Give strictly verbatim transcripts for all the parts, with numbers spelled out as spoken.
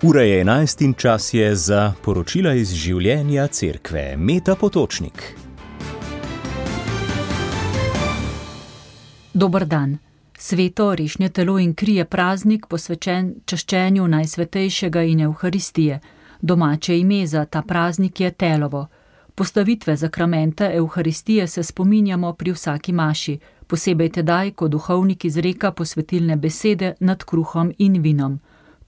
Ura je enajst in čas je za poročila iz življenja cerkve. Meta Potočnik. Dober dan. Sveto rešnje telo in kri je praznik posvečen čaščenju Najsvetejšega in Evharistije. Domače ime za ta praznik je telovo. Postavitve zakramenta Evharistije se spominjamo pri vsaki maši, posebej tedaj, ko duhovnik izreka posvetilne besede nad kruhom in vinom.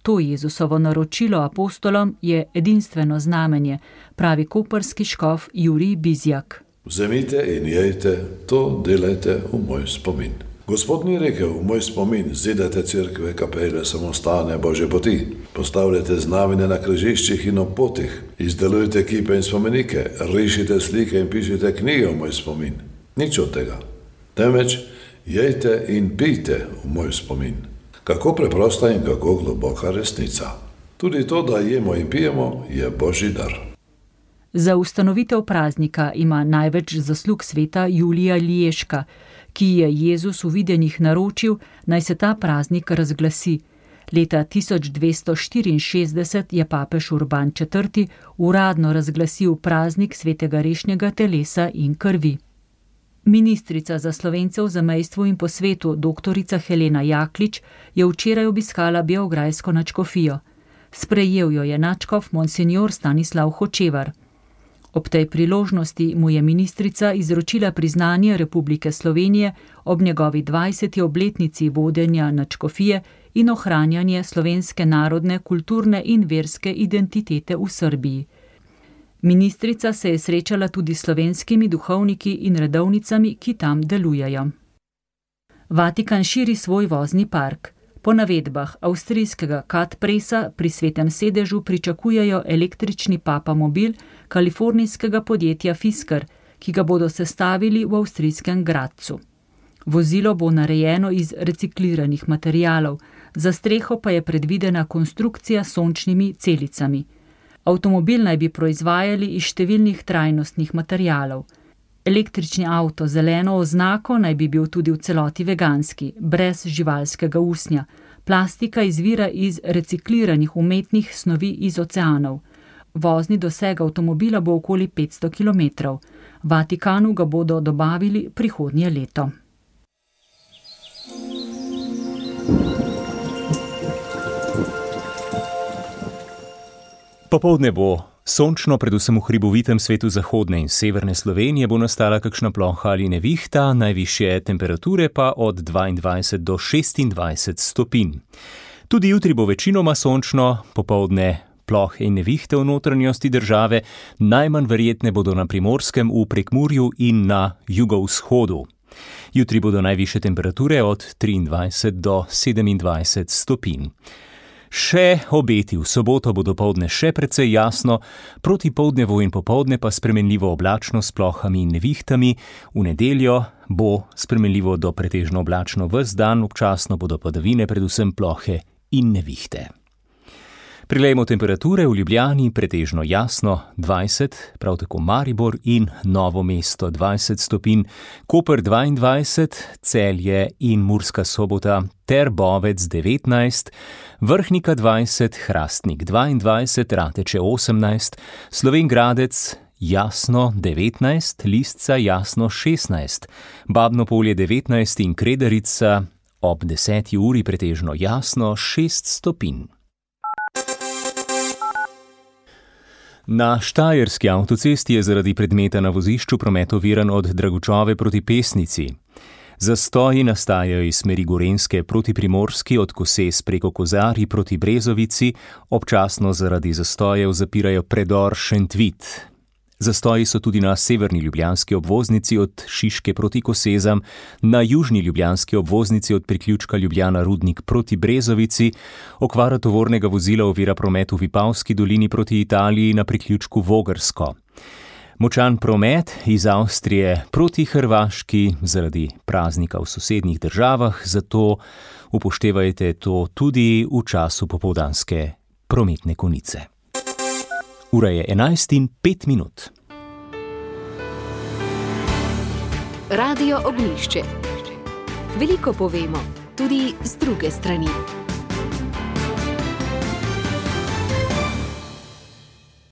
To Jezusovo naročilo apostolom je edinstveno znamenje, pravi koprski škof Jurij Bizjak. Vzemite in jejte, to delajte v moj spomin. Gospod ni rekel, v moj spomin, zidajte cerkve, kapele, samostane, Božje poti. Postavljate znamenja na križiščih in ob potih. Izdelujte kipe in spomenike, rišite slike in pišite knjige v moj spomin. Nič od tega. Temveč jejte in pijte v moj spomin. Kako preprosta in kako globoka resnica. Tudi to, da jemo in pijemo, je Božji dar. Za ustanovitev praznika ima največ zaslug sveta Julija Liješka, ki je Jezus v videnjih naročil, naj se ta praznik razglasi. Leta tisoč dvesto štiriinšestdeset je papež Urban četrti uradno razglasil praznik svetega rešnjega telesa in krvi. Ministrica za Slovence v zamejstvu in po svetu, doktorica Helena Jaklič, je včeraj obiskala beograjsko nadškofijo. Sprejel jo je nadškof monsignor Stanislav Hočevar. Ob tej priložnosti mu je ministrica izročila priznanje Republike Slovenije ob njegovi dvajseti obletnici vodenja nadškofije in ohranjanje slovenske narodne, kulturne in verske identitete v Srbiji. Ministrica se je srečala tudi s slovenskimi duhovniki in redovnicami, ki tam delujejo. Vatikan širi svoj vozni park. Po navedbah avstrijskega Kat Pressa pri Svetem sedežu pričakujejo električni papamobil kalifornijskega podjetja Fisker, ki ga bodo sestavili v avstrijskem Gradcu. Vozilo bo narejeno iz recikliranih materialov, za streho pa je predvidena konstrukcija s sončnimi celicami. Avtomobil naj bi proizvajali iz številnih trajnostnih materialov. Električni avto z zeleno oznako naj bi bil tudi v celoti veganski, brez živalskega usnja. Plastika izvira iz recikliranih umetnih snovi iz oceanov. Vozni doseg avtomobila bo okoli petsto kilometrov. Vatikanu ga bodo dobavili prihodnje leto. Popoldne bo sončno, predvsem v hribovitem svetu zahodne in severne Slovenije bo nastala kakšna ploha ali nevihta, najvišje temperature pa od dvaindvajset do šestindvajset stopinj. Tudi jutri bo večinoma sončno, popoldne plohe in nevihte v notranjosti države, najmanj verjetne bodo na Primorskem, v Prekmurju in na jugovzhodu. Jutri bodo najvišje temperature od triindvajset do sedemindvajset stopinj. Še obeti v soboto bo dopoldne še precej jasno, proti poldnevu in popoldne pa spremenljivo oblačno s plohami in nevihtami, v nedeljo bo spremenljivo do pretežno oblačno ves dan, občasno bodo padavine, predvsem plohe in nevihte. Prilejmo temperature v Ljubljani, pretežno jasno dvajset, prav tako Maribor in Novo mesto dvajset stopinj, Koper dvaindvajset, Celje in Murska Sobota ter Bovec devetnajst, Vrhnika dvajset, Hrastnik dvaindvajset, Rateče osemnajst, Slovenj Gradec jasno devetnajst, Lisca jasno šestnajst, Babno Polje devetnajst in Kredarica ob deseti uri pretežno jasno šest stopinj. Na štajerski avtocesti je zaradi predmeta na vozišču promet oviran od Dragučove proti Pesnici. Zastoji nastajajo iz smeri Gorenjske proti Primorski, od Koses preko Kozarij proti Brezovici, občasno zaradi zastojev zapirajo predor Šentvit. Zastoji so tudi na severni ljubljanski obvoznici od Šiške proti Kosezam, na južni ljubljanski obvoznici od priključka Ljubljana-Rudnik proti Brezovici, okvara tovornega vozila ovira promet v Vipavski dolini proti Italiji na priključku Vogrsko. Močan promet iz Avstrije proti Hrvaški zaradi praznika v sosednjih državah, zato upoštevajte to tudi v času popoldanske prometne konice. Ura je enajst in pet minut. Radio Ognjišče. Veliko povemo, tudi z druge strani.